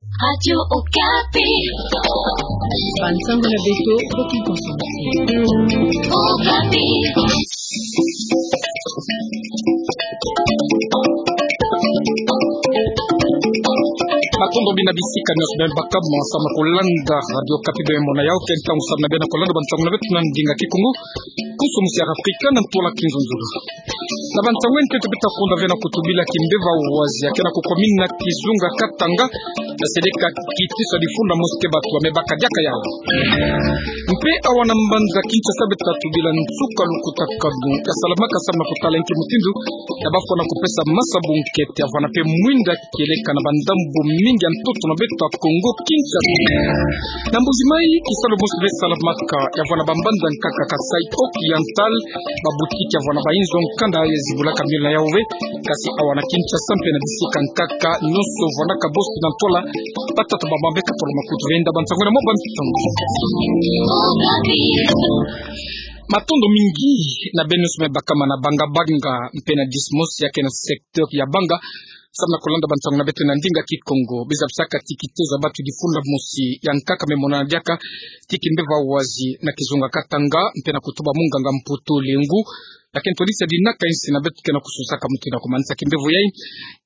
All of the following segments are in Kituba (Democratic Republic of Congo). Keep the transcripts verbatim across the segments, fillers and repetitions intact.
Radio Okapi. Bansango na beto, boki konsomati. Okapi. Matondo mingi na bisika nyonso beno baka mo samu na kolanda Radio Okapi, beno mona yawu ke ntangu samu na beno kolanda bansango na beto na ndinga Kikongo. Konsomation ya Afrika na ntwala Kinzonzolo. Na bansango ya ntete beto ta konda ve na kutubila kimpeve wazi ya ke na kukwamina kizunga Katanga, ya seleka kitiso ya difunda mosi ke bato ba me baka diaka yawu. Mpe awa na mbanza Kinshasa beto ta tubila nsuka lukutakanu ya salamaka samu na kutala nki mutindu ya bafwana kupesa masabu nkete ya vwanda mpe mwinda kieleka na bandambu mingi ya ntoto na beto ya Kongo Kinshasa. Na Mbuji-Mayi, kisalu mosi me salamaka ya vwanda bambanda nkaka Kasaï Oriental, babutiki ya vwanda bainzo nkanda ya zibulaka miolo na yawu ve, kasi awa na Kinshasa mpe na bisika nkaka nyonso vwandaka bosi na ntwala, batata bamama beka tolo makutu ve. Nda bansango na mwa bantu. Matondo mingi na beno nyonso me bakama na banga-banga mpe na disi mosi ya ke na secteur ya banga samu na kolanda bansango na beto na ndinga Kikongo. Beno zabisaka ti kitezo ya bato difunda mosi ya nkaka me monana diaka ti kimpeve wazi na kizunga Katanga mpe na kutuba munganga Mputu Lengu, ya ke ntondisi ya dinaka insi na beto ke na kususaka mutindu ya kumanisa kimpeve yayi.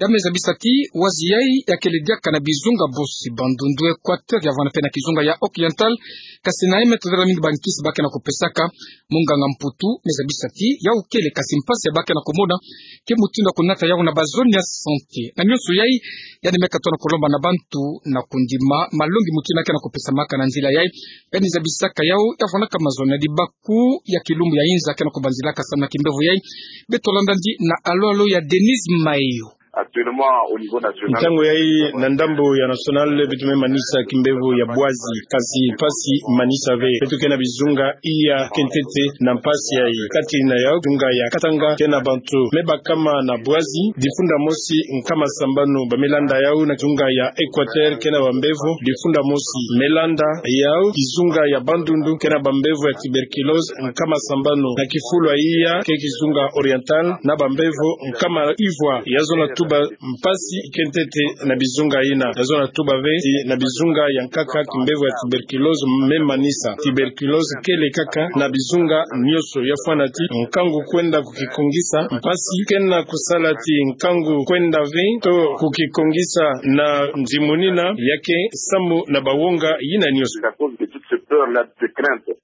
Ya me zabisa ti wazi yayi ya kele diaka na bizunga bosi, Bandundu, Equateur, ya vwanda mpe na kizunga ya Oriental, kasi na ye me tadala mingi bankisi ba ke na kupesaka. Munganga Mputu me zabisa ti yawu kele, kasi mpasi ya ba ke na kumona ke mutindu ya kunata yawu na bazone ya santé. Na nyonso yayi, yandi me katuka na kulomba na bantu na kundima malongi mutindu ya ke na kupesamaka na nzila yayi. Yandi zabisaka yawu ya vwandaka mazono ya dibaku ya kilumbu ya inza ke na kubanzilaka samu na kimpeve yayi. Beto landa yandi na alo-alo ya Denise Mayo. Actuellement, au niveau national, ntango yayi na ndambu ya national, beto me manisa kimpeve ya bwazi, kasi mpasi manisa ve. Beto ke na bizunga iya ke ntete na mpasi yayi. Kati na yawu, kizunga ya Katanga ke na bantu me bakama na bwazi difunda mosi nkama sambanu ba me landa yawu. Na kizunga ya Equateur ke na bambevo difunda mosi me landa yawu. Kizunga ya Bandundu ke na bambevo ya tuberculose nkama sambanu na kifulu ya iya ke kizunga Oriental na bambevo nkama ivwa. Ya zona tuba mpasi ke ntete na bizunga yina. Ya zona tuba ve ti na bizunga ya nkaka kimpeve ya tuberculose me manisa. Tuberculose kele kaka na bizunga nyonso. Ya fwana ti nkangu kwenda kukikongisa, mpasi ke na kusala ti nkangu kwenda ve to kukikongisa na nzimunina ya ke samu na bawonga yina nyonso. C'est à cause de toute cette peur-là, de cette crainte.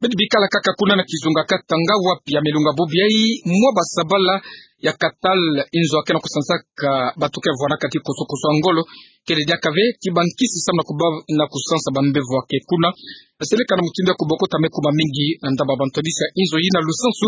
Beto bikala kaka kuna na kizunga Katanga, wapi ya me lunga bubu yayi mwa basabala ya Katal, inzo ya ke na kusansaka bato ke vwandaka ti koso-koso ya ngolo, kele diaka ve ti bankisi samu na kuba-, na kusansa bambevo ya ke kuna. Seleka na mutindu ya kubokota me kuma mingi na ndambu ya bantondisi ya inzo yina. Lusansu,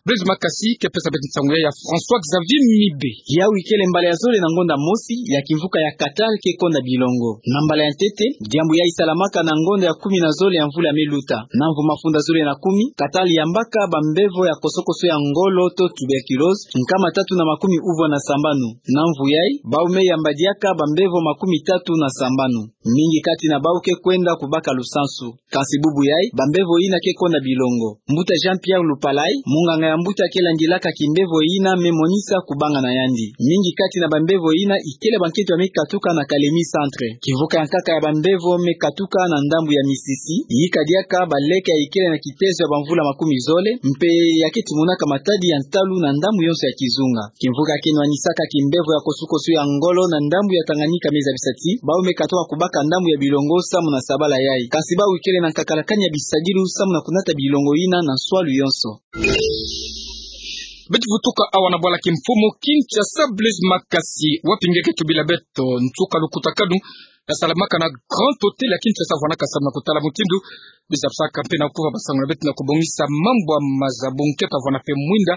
Blaise Makasi ke pesa beto nsangu yayi ya François Xavier Mibe. Yawu ikele mbala ya zole na ngonda mosi ya kimvuka ya Katal ke konda bilongo. Na mbala ya ntete, diambu yayi salamaka na ngonda ya kumi na zole ya mvula me luta. Na mvu mafunda zole na kumi, Katal yambaka bambevo ya koso-koso ya ngolo to tuberculose nkama tatu na makumi uvwa na sambanu. Na mvu yayi, bawu me yamba diaka bambevo makumi tatu na sambanu. Mingi kati na bawu ke kwenda kubaka lusansu. Kasi bubu yayi, bambevo yina ke konda bilongo. Mbuta Jean-Pierre Lupalay, munganga ya mbuta ke landilaka kimbevo yina, me monisa kubanga na yandi. Mingi kati na bambevo yina ikele bankento ya me katuka na Kalemi Centre. Kimvuka ya nkaka ya bambevo me katuka na ndambu ya Misisi, yika diaka baleke ya ikele na kitezo ya bamvula makumi zole, mpe ya ke timonaka matadi ya ntalu na ndambu yonso ya kizunga. Kimvuka ke nwanisaka kimbevo ya koso-koso ya ngolo na ndambu ya Tanganyika me zabisa ti bawu me katuka kubaka ndambu ya bilongo samu na sabala yayi. Kasi bawu ikele na nkakalakani ya bisadilu samu na kunata bilongo yina na nswalu yonso. Beto vutuka awa na bwala kimfumu Kinshasa. Blaise Makasi, wapi nge ke tubila beto nsuka lukutakanu ya salamaka na Grand Hôtel ya Kinshasa, vwandaka samu na kutala mutindu beno zabisaka mpe na kuva basango na beto na kubongisa mambu ya maza, bunkento ya vwanda mpe mwinda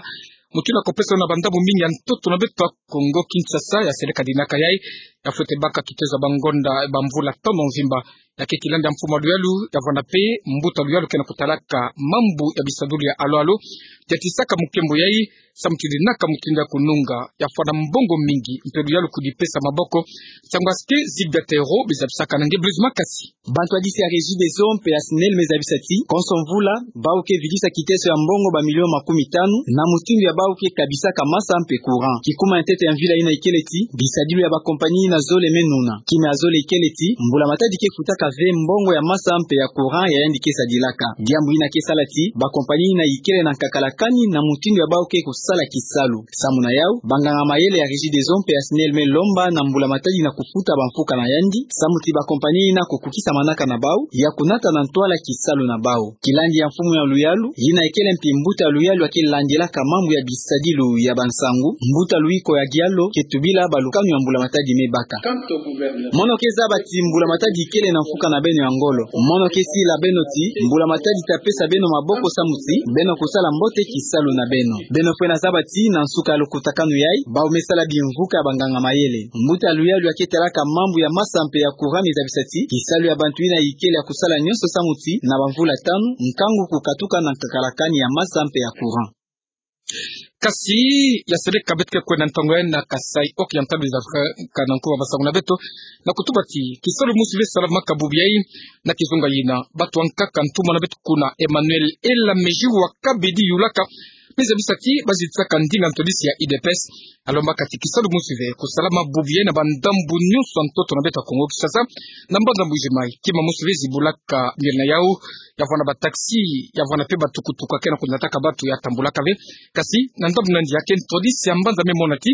mutindu ya kupesa na bandambu mingi ya ntoto na beto ya Kongo Kinshasa. Ya seleka dinaka yayi, ya fwete baka kitezo ya bangonda, bamvula tanu mvimba. Ya ke kilandi ya mfumu ya luyalu, ya vwanda pe mbuta luyalu ke na kutalaka mambu ya bisadulu ya alo alo, ya tisaka mukembo yai, samu ti dinaka mutindu ya kununga, ya fwana mbongo mingi, mpe luyalu kudipesa maboko. Nsangu ya Sike Zigda Tero, bizabisaka na nge Blaise Makasi. Bantu ya disi ya Regideso mpe ya Snel me zabisa ti, konso mvula, bau ke vidisa kiteso ya mbongo ba milio makumi tanu, na mutindu ya bau ke kabisaka masa mpe courant. Kikuma ya ntete ya mvila yina ikele ti, bisadulu ya ba compagnie yina zole me nuna. Kima ya zole ikele ti, mbula matadi ke futaka ve mbongo ya masa mpe ya courant ya yandi ke sadilaka. Diambu yina ke sala ti, ba compagnie yina ikele na nkakala kani na mutindu ya bau ke kusala kisalu. Samu na yau, banganga mayele ya Regideso mpe ya Snel me lomba na mbula matadi na kufuta ba mfuka na yandi, samu ti ba compagnie yina kukukisa manaka na bau, ya kunata na ntwala kisalu na bau. Kilandi ya mfumu ya luyalu, yina ikele mpi mbuta luyalu ya ke landilaka mambu ya bisadilu ya bansangu, mbuta Luiko ya Dialo, ke tubila ba lukanu ya mbula matadi me baka. Mono ke zaba ti mbula matadi ikele na mfuka na beno ya ngolo. Mono ke sila beno ti, mbula matadi ta pesa beno maboko samu ti, beno kusala mbote kisalu na beno. Beno fwena zaba ti, na nsuka ya lukutakanu yai, bau me sala bimvuka ya banganga mayele. Mbuta luyalu ya ke talaka mambu ya masa mpe ya courant me zabisa ti, kisalu ya bantu yina ikele ya kusala nionso samu ti, na ba mvula tanu, nkangu kukatuka na nkakala kani ya masa mpe ya courant. Kasi, ya seleka beto ke kwenda ntangu yai na Kasaï Occidental, bizabisaka na nkuba masangu na beto, na kutuba ti, kisalu mosi ve salamaka bubu yai, na kizunga yina, bantu ya nkaka ntumwa na beto kuna Emmanuel Elamejou wa Kabedi yulaka, me zabisa ti, bazitisaka ndinga ntwadisi ya U D P S, alombaka ti kisalu mosi ve, kusalama bubu yai na ba ndambu nionso ya ntoto na beto ya Kongo Kinshasa, na mbanza Mbuji-Mayi, kima mosi ve zibulaka miel na yau, ya vwanda ba taxi, ya vwanda pe ba tukutuku ya ke na kunataka bantu ya tambulaka ve. Kasi, na ndambu na yandi ya ke ntwadisi ya mbanza me mona ti,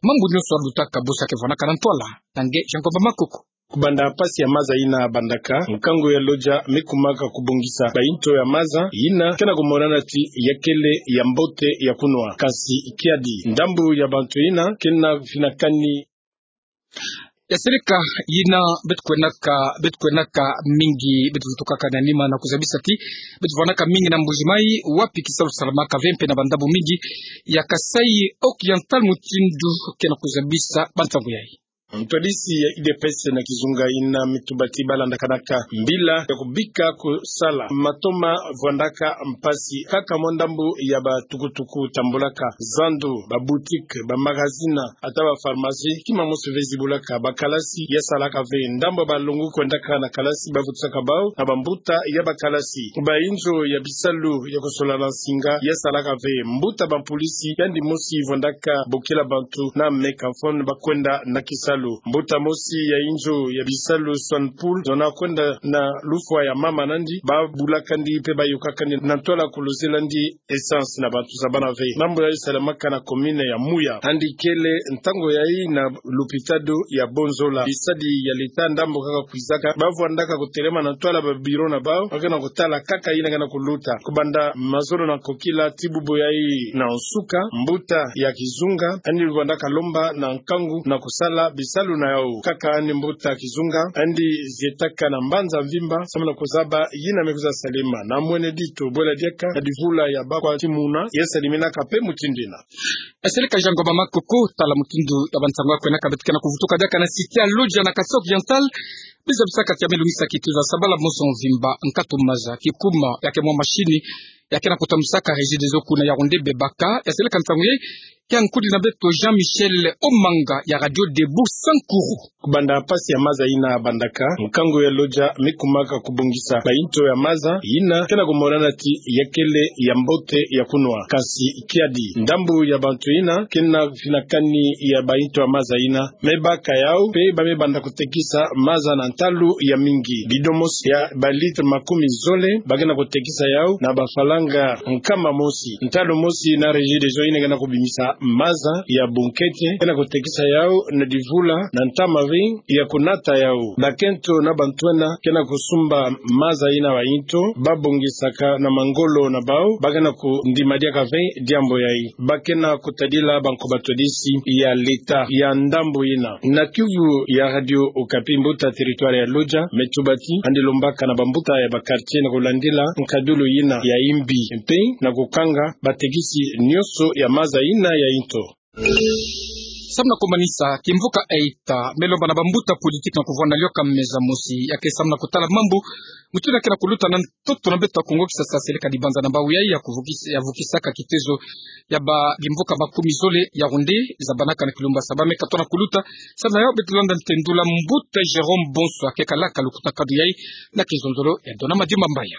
mambu nionso ya lutaka bosi ya ke vwandaka na ntwala, na nge Jean Ngomba Makoko. Kubanda pasi ya maza yina bandaka, nkangu ya Lodja me kumaka kubongisa ba yinto ya maza yina ke na kumonana ti ya kele ya mbote ya kunwa. Kasi kiadi, ndambu ya bantu yina ke na finakani. Ya seleka yina beto kwenaka, beto kwenaka mingi, beto vutukaka na nima na kuzabisa ti, beto vwandaka mingi na Mbuji-Mayi, wapi kisalu salamaka ve mpe na ba ndambu mingi ya Kasaï Occidental, mutindu ke na kuzabisa ba ntangu yai. Ntwadisi ya U D P S na kizunga yina me tuba ti balandakanaka mbila ya kubika kusala matoma vwandaka mpasi kaka mwa ndambu ya ba tukutuku tambulaka, zandu, ba boutique, ba magazine, ata ba pharmacie, kima mosi ve zibulaka. Ba kalasi ya salaka ve, ndambu ya balongo kwendaka na kalasi, bavutisaka bau na bambuta ya ba kalasi. Ba inzo ya bisalu ya kusola na nsinga ya salaka ve. Mbuta bampulisi, yandi mosi vwandaka bokila bantu na mégaphone bakwenda na kisalu. Mbuta mosi ya inzo ya bisalu Sonpool, zona kwenda na lufwa ya mama nandi, babulakandi pe bayokakandi na ntwala kuluzilandi essence na bantu zabana ve. Ndambu yai salamaka na commune ya Mouya. Yandi kele ntangu yai na lupitalu ya Bonzola. Bisadi ya leta ndambu kaka kwizaka, bavwandaka kutelema na ntwala ba bureau na bau, ba ke na kutala kaka yina ke na kuluta. Kubanda mazono na nkokila tii bubu yai na nsuka, mbuta ya kizunga yandi vwandaka lomba na nkangu na kusala bisalu na yau. Kaka yandi mbuta kizunga yandi zietaka na mbanza mvimba, samu na kuzaba yina me kwiza salema. Na mwene dito bwela diaka na divula ya bakwa timuna, ya saleminaka pe mutindu yina. Ya seleka Jean Ngomba Makoko, tala mutindu ya ba nsangu ya kwenaka, beto ke na kuvutuka diaka na cité ya Lodja na Kasaï Occidental, bizabisaka ti ya me lungisa kituza sabala moso mvimba, nkatu maza, kikuma ya ke mwa mashini ya ke na kutambusaka Regideso kuna Yaoundé bebaka. Ya seleka nsangu yai, ya nkudi na beto Jean-Michel Omanga ya Radio Debout Sankuru. Kubanda pasi ya maza yina bandaka, nkangu ya Lodja me kumaka kubongisa ba yinto ya maza yina ke na kumonana ti ya kele ya mbote ya kunwa. Kasi kiadi, ndambu ya bantu yina ke na finakani ya ba yinto ya maza yina me baka yau, pe ba me banda kutekisa maza na ntalu ya mingi. Bidon mosi ya ba litre makumi zole ba ke na kutekisa yau na bafalanga nkama mosi. Ntalu mosi na Regideso yina ke na kubimisa maza ya bunkete ke na kutekisa yau na divula na ntama ve ya kunata yau. Bakento na bantwenia ke na kusumba maza yina ba yinto, babongisaka na mangolo na bau, ba ke na kundima diaka ve diambu yai. Ba ke na kutadila banko batwadisi ya leta ya ndambu yina. Na kiuvu ya Radio Okapi, mbuta territoire ya Lodja me tuba ti yandi lombaka na bambuta ya ba quartier na kulandila nkadulu yina ya imbi, mpe na kukanga batekisi nionso ya maza yina ya yinto. Samu na kumanisa kimvuka eita, me lomba na bambuta politiki na kuvwanda lioka meza mosi, ya ke samu na kutala mambu mutindu ya ke na kuluta na ntoto na beto ya Kongo Kisasa, seleka dibanza na bawu yayi ya kuvukis-, ya vukisaka kitezo ya ba bimvuka makumi zole ya ronde za banaka na kilumbu Saba, me katwa na kuluta. Samu na yo beto landa ntendula mbuta Jérôme Bonso, ya ke kalaka lukutakanu yayi na kizololo ya Dona Madimba Mbaya.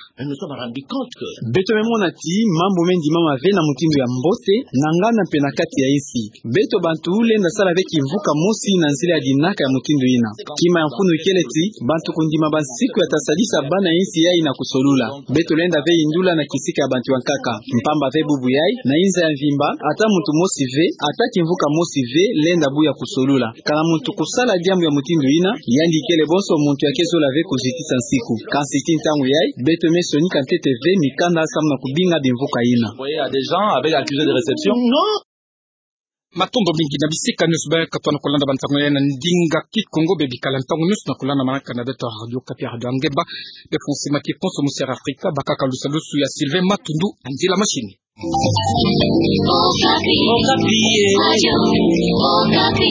Beto me mona ti mambu me ndimama ve na mutindu ya mbote na nganda mpe na kati ya insi. Beto bantu lenda sala ve kimvuka mosi na nzila ya dinaka ya mutindu ina. Kima ya mfunu ikele ti bantu kundima bansiku ya ta sadisa bana ya insi yayi na kusolula. Beto lenda ve yindula na kisika ya bantu ya nkaka. Mpamba ve bubu yayi, na inza ya mvimba, ata muntu mosi ve, ata kimvuka mosi ve lenda bu ya kusolula. Kana muntu kusala diambu ya mutindu ina, yandi ikele bonso muntu ya ke zola ve kuzitisa nsiku. Kansi ti ntangu yayi, beto me sonika ntete ve mikanda samu na kubinga bimvuka ina. Matondo mingi na bisika nyonso baye katwa na kulanda bantangu yayi na ndinga Kikongo. Bebikala ntangu nyonso na kulanda manaka na beto Radio Okapi, Radio ya Ngemba, be Français Makikonso, Musière Afrika, bakaka lusalusu ya Sylvain Matundu, nzila machine. Okapi. Okapi.